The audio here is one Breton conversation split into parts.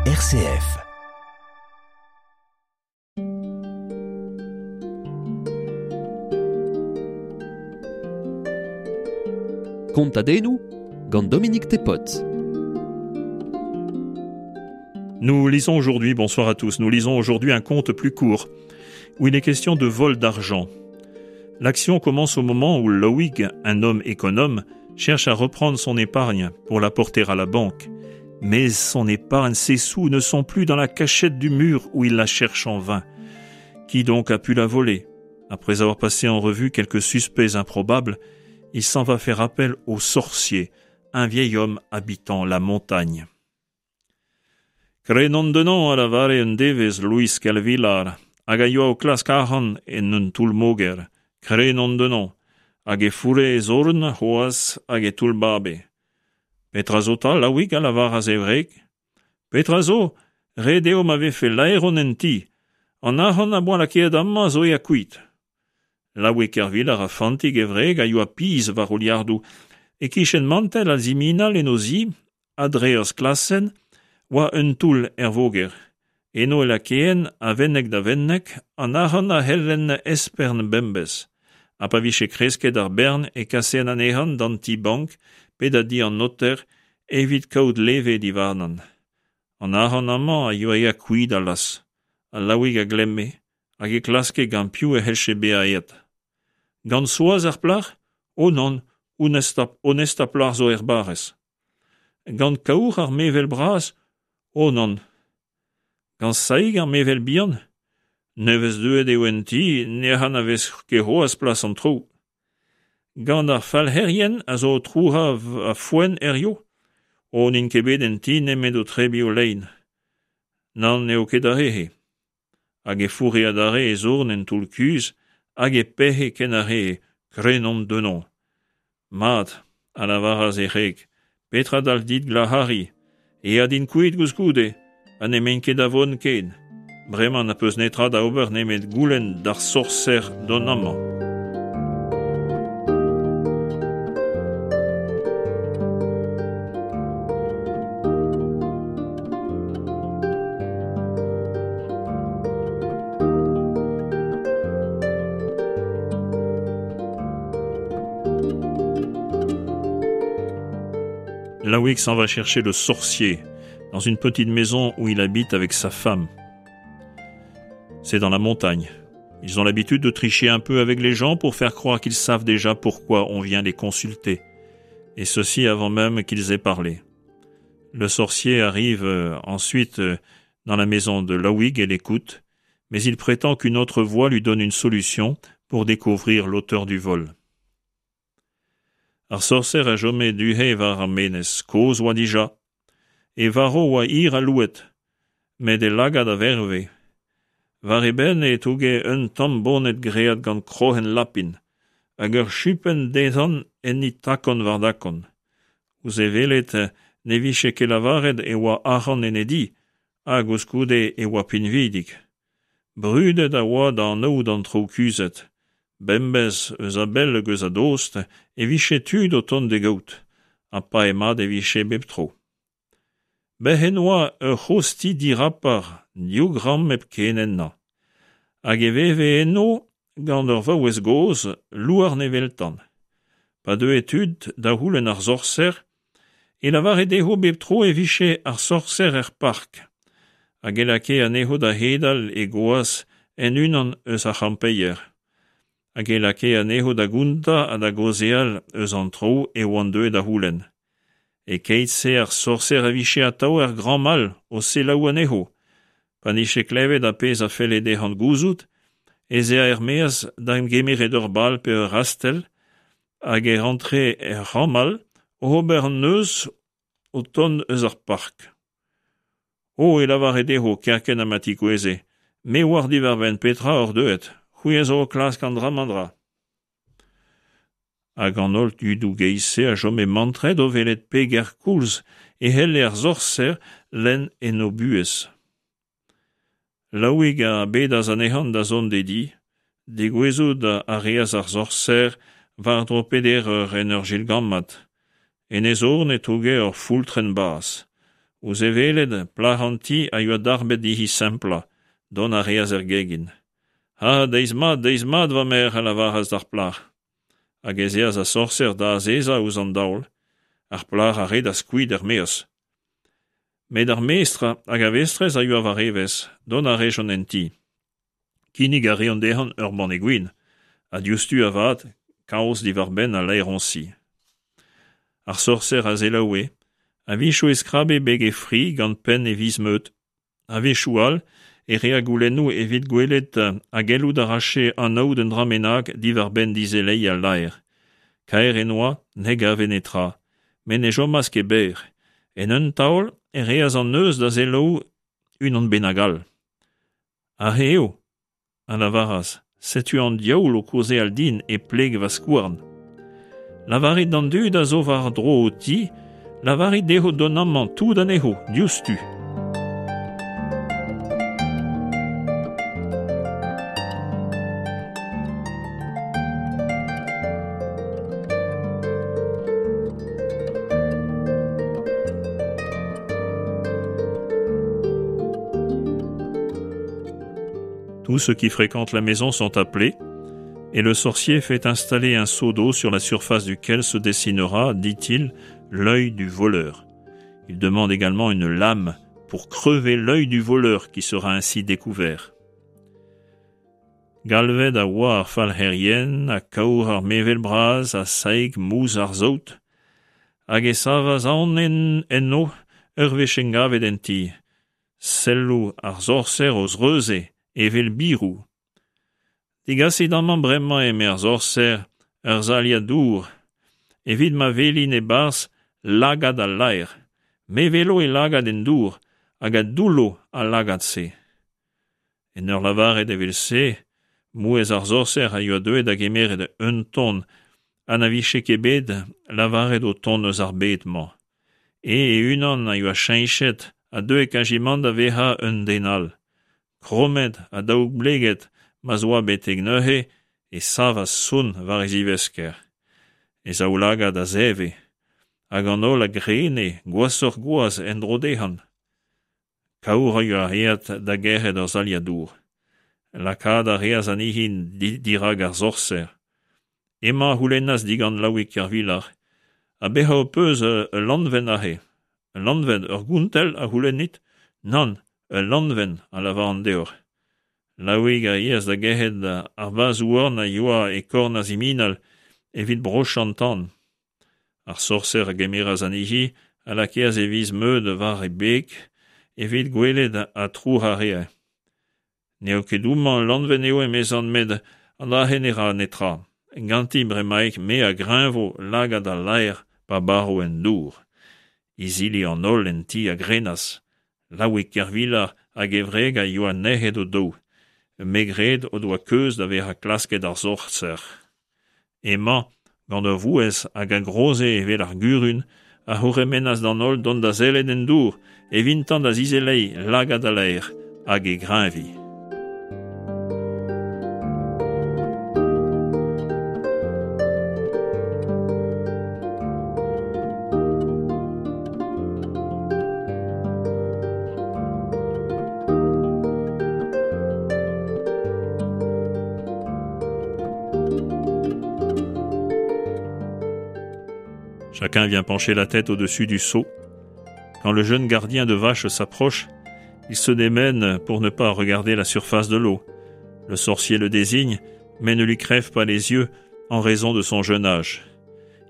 RCF. Kontadennoù gant Dominique Tepot. Nous lisons aujourd'hui, bonsoir à tous, nous lisons aujourd'hui un conte plus court où il est question de vol d'argent. L'action commence au moment où Loïc, un homme économe, cherche à reprendre son épargne pour la porter à la banque. Mais son épargne, ses sous ne sont plus dans la cachette du mur où il la cherche en vain. Qui donc a pu la voler Après avoir passé en revue quelques suspects improbables, il s'en va faire appel au sorcier, un vieil homme habitant la montagne. Krenon denon a lavare un devez Louis Kelvilar, hag a yoa o klask arc'hant en un toull-moger, krenon denon, hag e fourre e zorn c'hoazh hag e toullbabe. Petra zo 'ta, Laouig, a lavaras e wreg? Petra zo? Ret eo ma vefe laeron en ti. An arc'hant am boa lakaet amañ zo aet kuit. Laouig Kervilar ha Fantig e wreg a yoa pizh war o liardoù. E-kichen mantell al siminal en o zi, a-dre ur sklasenn, oa un toull er voger. Eno e lakaen, a wenneg da wenneg, an arc'hant a c'hellen espern bemdez. Ha pa vije kresket ar bern e kasen anezhañ d'an ti-bank pe da di an noter evit kaout leve diwarnan. An arc'hant amañ a yoa aet kuit allaz. Ha Laouig a glemme, hag e klaske gant piv e c'hellje bezañ aet. Gant Soaz ar plac'h ? O nann, honestañ, honestañ plac'h zo er barrez. Gant Kaour ar mevel bras ? O nann. Gant Saig ar mevel bihan ? Nevez deuet eo en ti, ne anavez ket c'hoazh plas an traoù. Gant ar falc'herien a zo o trouc'hañ va foenn hiziv ? O n'int ket bet en ti nemet o tebriñ o lein. Nann, n'eo ket ar re-se. Hag e fourre adarre e zorn en toull-kuzh hag e pec'he ken a ree, Krenomp Denon. Mat, a lavaras e wreg, petra dalv dit glac'hariñ ? Aet int kuit koulskoude, ha n'emaint ket da vont ken. Bremañ n'az peus netra da ober nemet goulenn d'ar sorser dont amañ. Laouig s'en va chercher le sorcier dans une petite maison où il habite avec sa femme. C'est dans la montagne. Ils ont l'habitude de tricher un peu avec les gens pour faire croire qu'ils savent déjà pourquoi on vient les consulter. Et ceci avant même qu'ils aient parlé. Le sorcier arrive euh, ensuite euh, dans la maison de Laouig et l'écoute, mais il prétend qu'une autre voix lui donne une solution pour découvrir l'auteur du vol. Ar sorser a chome du-he war ar menez, kozh oa dija. E varv oa hir ha louet, met e lagad a verve. War e benn e touge un tamm boned graet gant kroc'hen lapin, hag ur chupenn dezhañ enni takon war dakon. Ouzh e welet ne vije ket lavaret e oa arc'hant en e di, ha koulskoude e oa pinvidik. Brudet a oa da anaout an traoù kuzhet. Bemdez, eus a-bell hag eus a-dost, e vije tud o tont d'e gaout, ha pae mat e vije bep tro. Bec'h en oa ur c'hozh ti dirapar, div gambr hepken ennañ. Hag e veve eno gant ur vaouez gozh, louarn eveltan. Pa deue tud da c'houlenn ar sorser, e lavare dezho bep tro e vije ar sorser er park, hag e lakae anezho da hedal e goaz en unan eus ar c'hampeier, hag e lakae anezho da gontañ ha da gaozeal eus an traoù e oant deuet da c'houlenn. E-keit-se ar sorser a vije atav er gambr all o selaou anezho. Pa 'nije klevet ar pezh a felle dezhañ gouzout ez ea er-maez da gemeret ur bal pe ur rastell hag e rantre er c'hambr all oc'h ober an neuz o tont eus ar park. O, e lavare dezho kerkent ha ma tigouezhe, me 'oar diwar-benn petra oc'h deuet, c'hwi a zo o klask an dra-mañ-dra. Hag an holl tudoù geizh-se a chome mantret o welet peger koulz e c'helle ar sorser lenn en o buhez. Laouig a bedas anezhañ da zont d'e di. Degouezhout a reas ar sorser war-dro peder eur en ur jilgammat. En e zorn e touge ur foultrenn bas. Ouzh e welet, plac'h an ti a yoa darbet dezhi semplañ, dont a reas er gegin. Ha, deiz mat, deiz mat, va merc'h, a lavaras d'ar plac'h. Hag ez eas ar sorser da azezañ ouzh an daol. Ar plac'h a redas kuit er-maez. Met ar mestr hag ar vestrez a yoa war evezh, dont a rejont en ti. Kinnig a reont dezhañ ur banne gwin, ha diouzhtu avat kaoz diwar-benn al laeroñsi. Ar sorser a selaoue, a-wechoù e skrabe beg e fri gant penn e viz-meud, a-wechoù all e rea goulennoù evit gwelet ha gellout a rache anaout un dra bennak diwar-benn dizeleiñ al laer. Kaer en oa, ne gave netra, met ne chomas ket berr. En un taol e reas an neuz da selaou unan bennak all. Aze eo, a lavaras, setu an diaoul o kaozeal din e pleg va skouarn. Lavarit d'an dud a zo war-dro ho ti, lavarit dezho dont amañ tout anezho, diouzhtu. Tous ceux qui fréquentent la maison sont appelés, et le sorcier fait installer un seau d'eau sur la surface duquel se dessinera, dit-il, l'œil du voleur. Il demande également une lame pour crever l'œil du voleur qui sera ainsi découvert. Galvet a oa ar falc'herien ha Kaour ar mevel bras ha Saig mouz ar saout, hag e savas aon enno ur wech engavet en ti. Selloù ar sorser o zreuze evel biroù. Degasit amañ bremañ, eme ar sorser, ur saliad dour, evit ma welin e-barzh lagad al laer. Me 'welo e lagad en dour, hag a doullo al lagad-se. En ur lavaret evel-se, mouezh ar sorser a yoa deuet da gemeret un ton ha na vije ket bet lavaret o tont eus ar bed-mañ. E e-unan a yoa cheñchet ha deuet kazimant da vezañ un den all. Krommet ha daoubleget ma'z oa betek neuze e savas sonn war e zivesker. E zaoulagad a zeve, hag an holl a grene gwashoc'h-gwazh en-dro dezhañ. Kaour a yoa aet da gerc'hat ur saliad dour. Lakaat a reas anezhi dirak ar sorser. Hemañ a c'houlennas digant Laouig Kervilar, Ha bezañ ho peus ul lanvenn aze ? Ul lanvenn, ur gontell a c'houlennit ? Nann, ul lanvenn, a lavaran deoc'h. Laouig a yeas da gerc'hat ar bazh-houarn a yoa e korn ar siminal evit brochañ an tan. Ar sorser a gemeras anezhi a lakaas e viz meud war he beg evit gwelet ha trouc'hañ a rae. N'eo ket homañ ul lanvenn eo emezan met an dra-se ne ra netra. Ganti bremaik me a greñvo lagad al laer pa baro en dour. Izili an holl en ti a grenas. Laouig Kervilar hag e wreg a yoa nec'het o-daou. Me 'gred o doa keuz da vezañ klasket ar sorser. Hemañ, gant ur vouezh hag a groze evel ar gurun, a c'hourc'hemennas d'an holl dont da sellet en dour, evintañ da zizeleiñ lagad al laer hag e greñviñ. Chacun vient pencher la tête au-dessus du seau. Quand le jeune gardien de vaches s'approche, il se démène pour ne pas regarder la surface de l'eau. Le sorcier le désigne, mais ne lui crève pas les yeux en raison de son jeune âge.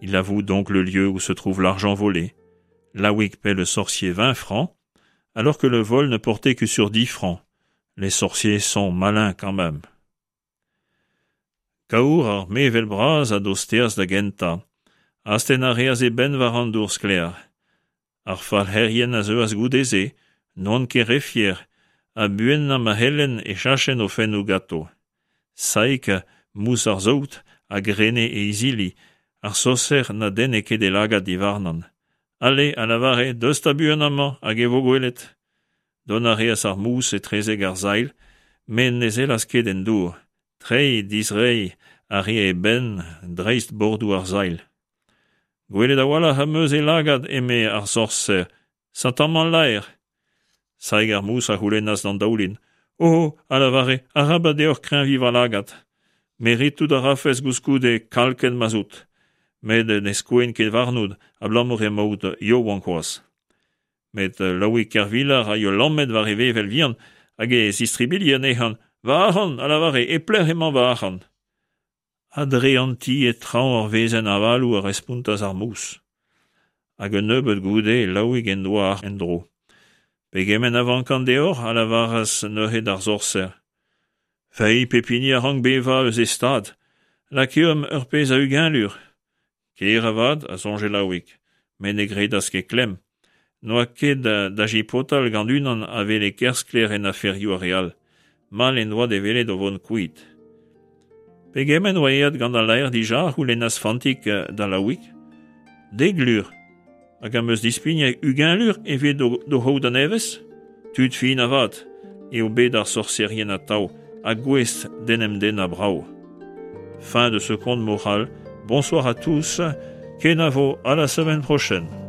Il avoue donc le lieu où se trouve l'argent volé. Laouig paie le sorcier vingt francs, alors que le vol ne portait que sur dix francs. Les sorciers sont malins quand même. Kaour ar mevel bras a dosteas da gentañ. Astenn a reas e benn war an dour sklaer. Ar falc'herien a zeuas goude-se, n'oant ket re fier, ha buanañ ma c'hellent e chachent o fennoù ganto. Saig, mous ar saout, a grene e izili, ar sorser na denne ket e lagad diwarnan. Ale, a lavare, deus 'ta buan amañ, hag e vo gwelet. Dont a reas ar mous etrezek ar sailh, met ne sellas ket en dour. Treiñ, dizreiñ a rae e benn dreist bordoù ar sailh. Gwelet a-walc'h am eus e lagad, eme ar sorser. Setu amañ al laer. Saig ar Mous a c'houlennas d'an daoulin. Oh, a lavare, arabat deoc'h kreñviñ va lagad. Meritout a rafes gouskoude kalkenn ma'z out. Met ne skoen ket warnout abalamour emaout yaouank c'hoazh. Met Laouig Kervilar a yoa lammet war e vevel vihan hag e zistribilhe anezhañ. Va arc'hant, a lavare, e pelec'h emañ va arc'hant? A-dre an ti e traoñ ur wezenn avaloù a respontas ar mous. Hag un nebeud goude Laouig en doa en-dro. Pegement a vankan deoc'h? a lavaras neuze d'ar sorser. Feiz, pep hini a rank bevañ eus e stad. Lakeomp ur pezh a 20 lur. Ker avat, a soñje Laouig, met ne gredas ket klemm. N'oa ket da jipotal gant unan a wele ker sklaer en aferioù ar re all. Mall en doa d'e welet o vont kuit. Pegement oa aet gant al laer dija? a c'houlennas Fantig da Laouig. Dek lur. Hag am eus dispignet 20 lur evit d'o c'haout a-nevez? Tud fin avat eo bet ar sorserien atav ha gouest d'en em dennañ brav. Fin de ce conte moral. Bonsoir à tous. Kenavo à la semaine prochaine.